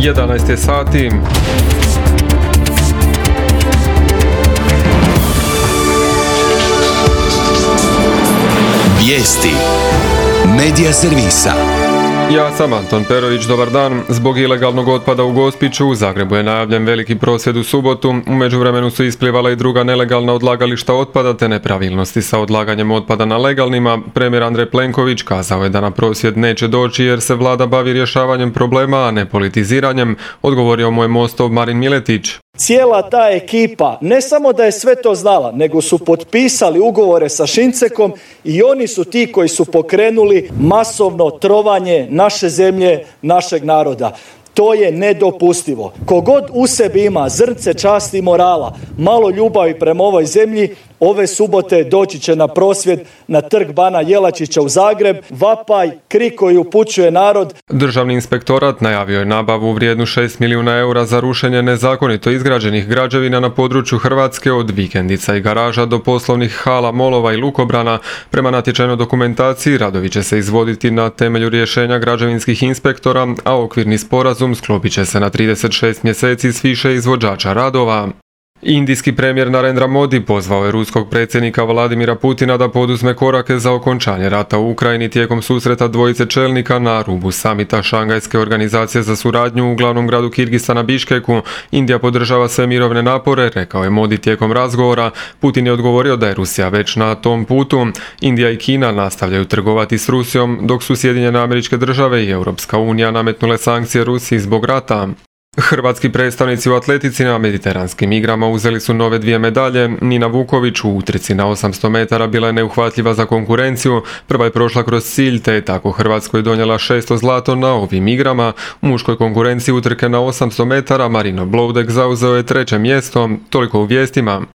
11 je sati. Vijesti Medija servisa. Ja sam Anton Perović, dobar dan. Zbog ilegalnog otpada u Gospiću, u Zagrebu je najavljen veliki prosvjed u subotu. U međuvremenu su isplivala i druga nelegalna odlagališta otpada te nepravilnosti sa odlaganjem otpada na legalnima. Premijer Andrej Plenković kazao je da na prosvjed neće doći jer se vlada bavi rješavanjem problema, a ne politiziranjem, odgovorio mu je Mostov Marin Miletić. Cijela ta ekipa ne samo da je sve to znala, nego su potpisali ugovore sa Šincekom i oni su ti koji su pokrenuli masovno trovanje naše zemlje, našeg naroda. To je nedopustivo. Kogod u sebi ima zrnce časti i morala, malo ljubavi prema ovoj zemlji, ove subote doći će na prosvjed na trg Bana Jelačića u Zagreb. Vapaj, krik koji upućuje narod. Državni inspektorat najavio je nabavu vrijednu 6 milijuna eura za rušenje nezakonito izgrađenih građevina na području Hrvatske, od vikendica i garaža do poslovnih hala, molova i lukobrana. Prema natječajnoj dokumentaciji radovi će se izvoditi na temelju rješenja građevinskih inspektora, a okvirni sporazum sklopit će se na 36 mjeseci s više izvođača radova. Indijski premijer Narendra Modi pozvao je ruskog predsjednika Vladimira Putina da poduzme korake za okončanje rata u Ukrajini tijekom susreta dvojice čelnika na rubu samita Šangajske organizacije za suradnju u glavnom gradu Kirgistana Biškeku. Indija podržava sve mirovne napore, rekao je Modi tijekom razgovora. Putin je odgovorio da je Rusija već na tom putu. Indija i Kina nastavljaju trgovati s Rusijom, dok su Sjedinjene Američke Države i Europska unija nametnule sankcije Rusiji zbog rata. Hrvatski predstavnici u atletici na mediteranskim igrama uzeli su nove 2 medalje. Nina Vuković u utrci na 800 metara bila je neuhvatljiva za konkurenciju. Prva je prošla kroz cilj, te je tako Hrvatskoj donijela 6. zlato na ovim igrama. U muškoj konkurenciji utrke na 800 metara Marino Bloudek zauzeo je 3. mjesto. Toliko u vijestima.